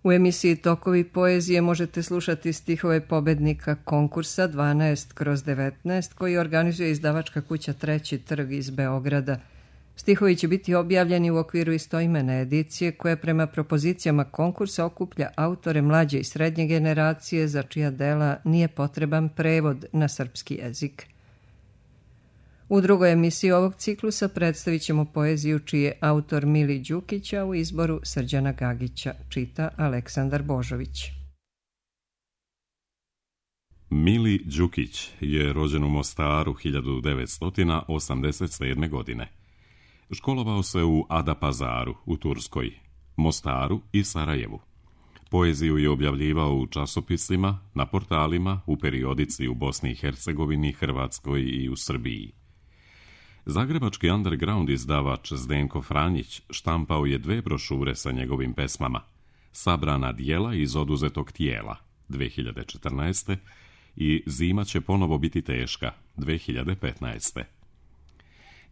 U emisiji Tokovi poezije možete slušati stihove pobednika konkursa 12/19 koji organizuje izdavačka kuća Treći trg iz Beograda. Stihovi će biti objavljeni u okviru istoimene edicije koja prema propozicijama konkursa okuplja autore mlađe i srednje generacije za čija dela nije potreban prevod na srpski jezik. U drugoj emisiji ovog ciklusa predstavit ćemo poeziju čiji je autor Mili Đukić, a u izboru Srđana Gagića, čita Aleksandar Božović. Mili Đukić je rođen u Mostaru 1987. godine. Školovao se u Adapazaru u Turskoj, Mostaru i Sarajevu. Poeziju je objavljivao u časopisima, na portalima, u periodici u Bosni i Hercegovini, Hrvatskoj i u Srbiji. Zagrebački underground izdavač Zdenko Franjić štampao je 2 brošure sa njegovim pesmama: Sabrana dijela iz oduzetog tijela 2014. i Zima će ponovo biti teška 2015.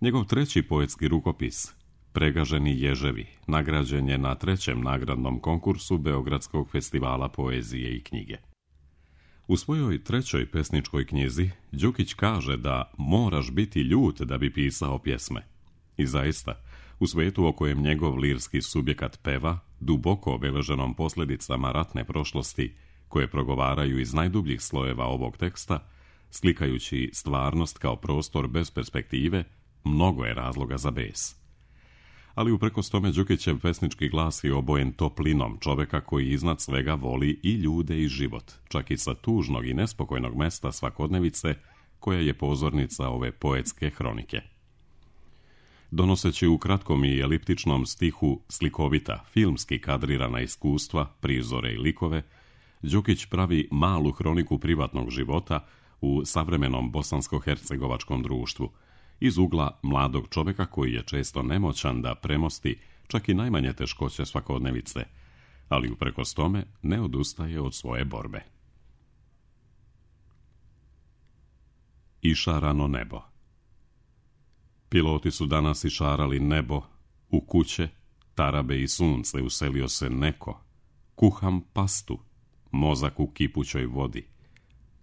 Njegov 3. poetski rukopis Pregaženi ježevi nagrađen je na 3. nagradnom konkursu Beogradskog festivala poezije i knjige. U svojoj 3. pesničkoj knjizi Đukić kaže da moraš biti ljut da bi pisao pjesme. I zaista, u svijetu o kojem njegov lirski subjekat peva, duboko obeleženom posljedicama ratne prošlosti, koje progovaraju iz najdubljih slojeva ovog teksta, slikajući stvarnost kao prostor bez perspektive, mnogo je razloga za bes. Ali uprkos tome Đukićev pesnički glas je obojen toplinom čoveka koji iznad svega voli i ljude i život, čak i sa tužnog i nespokojnog mesta svakodnevice, koja je pozornica ove poetske hronike. Donoseći u kratkom i eliptičnom stihu slikovita, filmski kadrirana iskustva, prizore i likove, Đukić pravi malu hroniku privatnog života u savremenom bosansko-hercegovačkom društvu, iz ugla mladog čoveka koji je često nemoćan da premosti čak i najmanje teškoće svakodnevice, ali uprkos tome ne odustaje od svoje borbe. Išarano nebo. Piloti su danas išarali nebo, u kuće, tarabe i sunce uselio se neko. Kuham pastu, mozak u kipućoj vodi.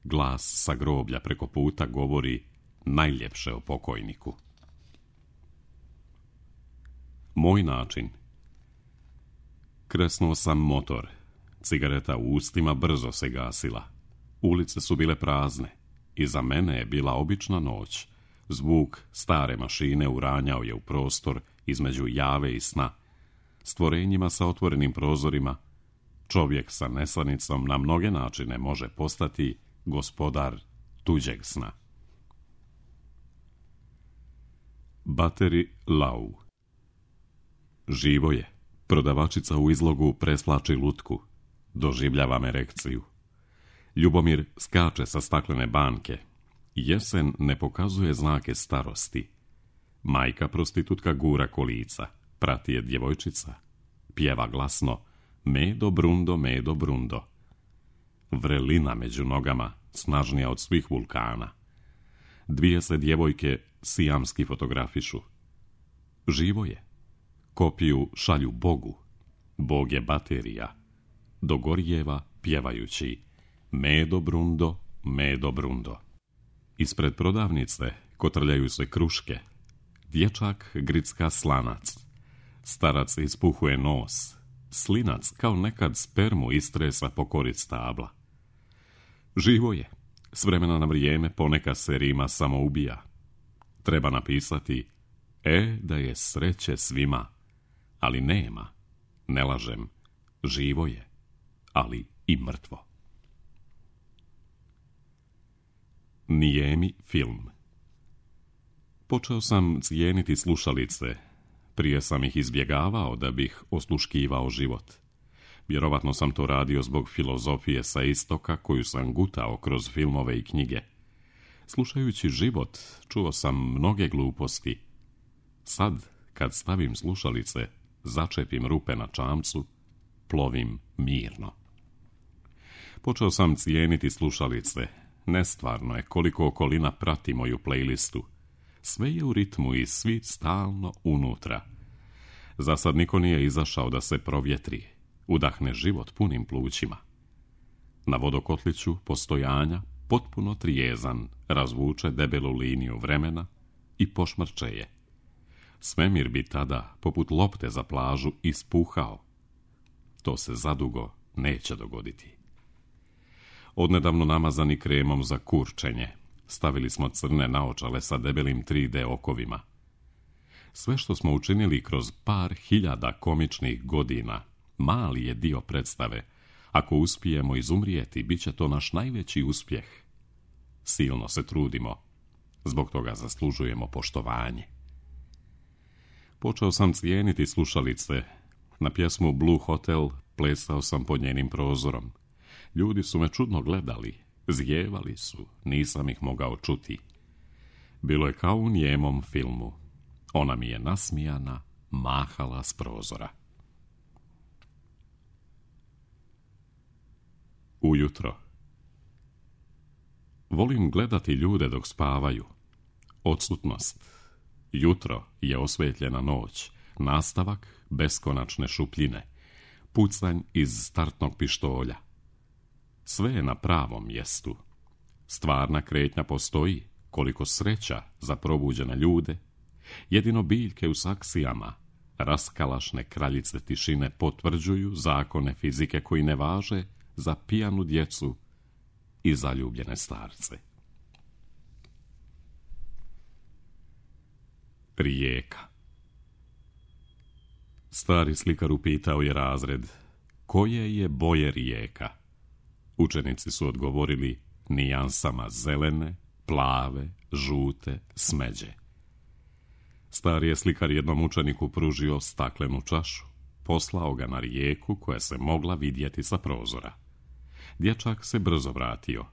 Glas sa groblja preko puta govori najljepše o pokojniku. Moj način. Kresnuo sam motor. Cigareta u ustima brzo se gasila. Ulice su bile prazne. Iza mene je bila obična noć. Zvuk stare mašine uranjao je u prostor između jave i sna. Stvorenjima sa otvorenim prozorima, čovjek sa nesanicom na mnoge načine može postati gospodar tuđeg sna. Bateri Lau. Živo je. Prodavačica u izlogu preslači lutku. Doživljavam erekciju. Ljubomir skače sa staklene banke. Jesen ne pokazuje znake starosti. Majka prostitutka gura kolica. Prati je djevojčica. Pjeva glasno: Medo brundo, medo brundo. Vrelina među nogama, snažnija od svih vulkana. 2 se djevojke sijamski fotografišu. Živo je. Kopiju šalju Bogu. Bog je baterija. Do Gorjeva pjevajući: Medo brundo, medo brundo. Ispred prodavnice kotrljaju se kruške. Dječak gricka slanac. Starac ispuhuje nos. Slinac kao nekad spermu istresa po koric stabla. Živo je. S vremena na vrijeme ponekad se rima samo ubija. Treba napisati: da je sreće svima, ali nema. Ne lažem, živo je, ali i mrtvo. Nijemi film. Počeo sam cijeniti slušalice. Prije sam ih izbjegavao da bih osluškivao život. Vjerovatno sam to radio zbog filozofije sa istoka koju sam gutao kroz filmove i knjige. Slušajući život, čuo sam mnoge gluposti. Sad, kad stavim slušalice, začepim rupe na čamcu, plovim mirno. Počeo sam cijeniti slušalice. Nestvarno je koliko okolina prati moju playlistu. Sve je u ritmu i svi stalno unutra. Za sad niko nije izašao da se provjetri. udahne život punim plućima. Na vodokotliću postojanja, potpuno trijezan, razvuče debelu liniju vremena i pošmrče je. Svemir bi tada, poput lopte za plažu, ispuhao. To se zadugo neće dogoditi. Odnedavno namazani kremom za kurčenje, stavili smo crne naočale sa debelim 3D okovima. Sve što smo učinili kroz par hiljada komičnih godina, mali je dio predstave. Ako uspijemo izumrijeti, bit će to naš najveći uspjeh. Silno se trudimo, zbog toga zaslužujemo poštovanje. Počeo sam cijeniti slušalice. Na pjesmu Blue Hotel plesao sam pod njenim prozorom. Ljudi su me čudno gledali, zjevali su, nisam ih mogao čuti. Bilo je kao u njemom filmu. Ona mi je nasmijana mahala s prozora. Ujutro. Volim gledati ljude dok spavaju. Odsutnost. Jutro je osvetljena noć, nastavak beskonačne šupljine, pucanj iz startnog pištolja. Sve je na pravom mjestu. Stvarna kretnja postoji, koliko sreća za probuđene ljude. Jedino biljke u saksijama, raskalašne kraljice tišine potvrđuju zakone fizike koji ne važe za pijanu djecu i zaljubljene starce. Rijeka. Stari slikar upitao je razred, koje je boje rijeka? Učenici su odgovorili nijansama zelene, plave, žute, smeđe. Stari je slikar jednom učeniku pružio staklenu čašu, poslao ga na rijeku koja se mogla vidjeti sa prozora. Dječak se brzo vratio.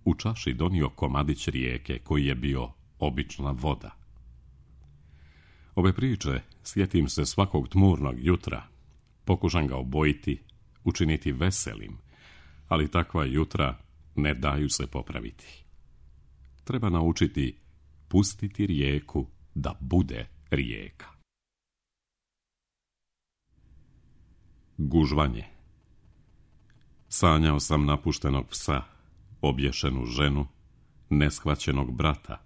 U čaši donio komadić rijeke koji je bio obična voda. Ove priče sjetim se svakog tmurnog jutra. Pokušam ga obojiti, učiniti veselim, ali takva jutra ne daju se popraviti. Treba naučiti pustiti rijeku da bude rijeka. Gužvanje. Sanjao sam napuštenog psa, obješenu ženu, neshvaćenog brata.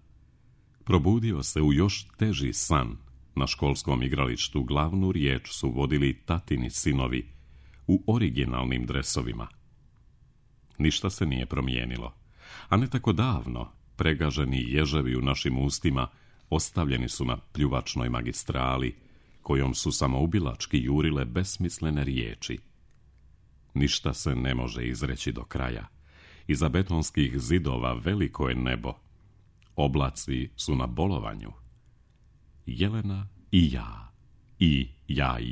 Probudio se u još teži san. Na školskom igralištu glavnu riječ su vodili tatini sinovi u originalnim dresovima. Ništa se nije promijenilo, a ne tako davno pregaženi ježevi u našim ustima ostavljeni su na pljuvačnoj magistrali, kojom su samoubilački jurile besmislene riječi. Ništa se ne može izreći do kraja. Iza betonskih zidova veliko je nebo. Oblaci su na bolovanju. Jelena i ja i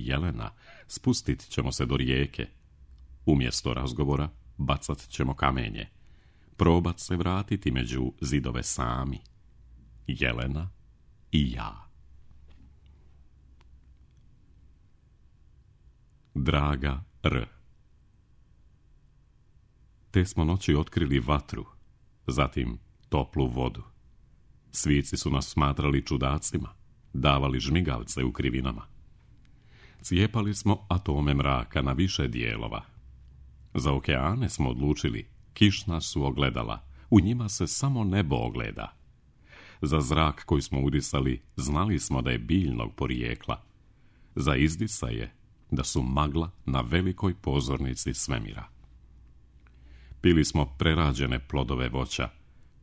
Jelena spustit ćemo se do rijeke. Umjesto razgovora bacat ćemo kamenje. Probat se vratiti među zidove sami. Jelena i ja. Draga R. Te smo noći otkrili vatru, zatim toplu vodu. Svici su nas smatrali čudacima, davali žmigavce u krivinama. Cijepali smo atome mraka na više dijelova. Za okeane smo odlučili, kišna su ogledala, u njima se samo nebo ogleda. Za zrak koji smo udisali, znali smo da je biljnog porijekla. Za izdisaje, da su magla na velikoj pozornici svemira. Pili smo prerađene plodove voća,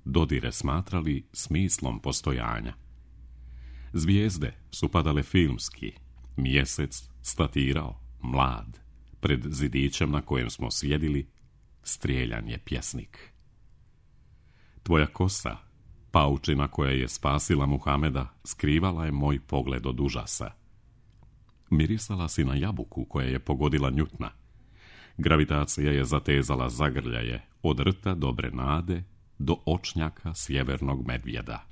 dodire smatrali smislom postojanja. Zvijezde su padale filmski, mjesec statirao, mlad, pred zidićem na kojem smo sjedili, strijeljan je pjesnik. Tvoja kosa, paučina koja je spasila Muhameda, skrivala je moj pogled od užasa. Mirisala si na jabuku koja je pogodila Njutna. Gravitacija je zatezala zagrljaje od rta dobre nade do očnjaka sjevernog medvjeda.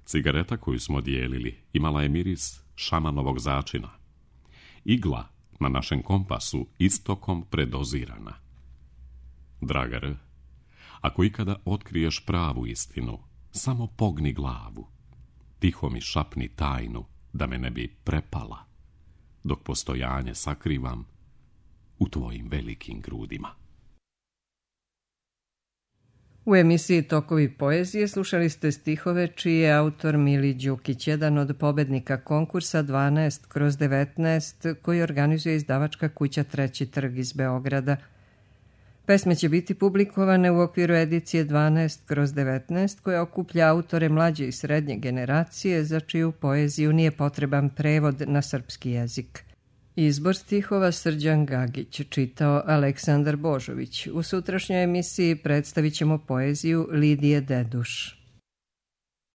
Cigareta koju smo dijelili imala je miris šamanovog začina. Igla na našem kompasu istokom predozirana. Draga R, ako ikada otkriješ pravu istinu, samo pogni glavu. Tiho mi šapni tajnu da me ne bi prepala. Dok postojanje sakrivam, u tvojim velikim grudima. U emisiji Tokovi poezije slušali ste stihove čiji je autor Mili Đukić, jedan od pobednika konkursa 12/19 koji organizuje izdavačka kuća Treći trg iz Beograda. Pesme će biti publikovane u okviru edicije 12/19 koja okuplja autore mlađe i srednje generacije za čiju poeziju nije potreban prevod na srpski jezik. Izbor stihova Srđan Gagić, čitao Aleksandar Božović. U sutrašnjoj emisiji predstavit ćemo poeziju Lidije Deduš.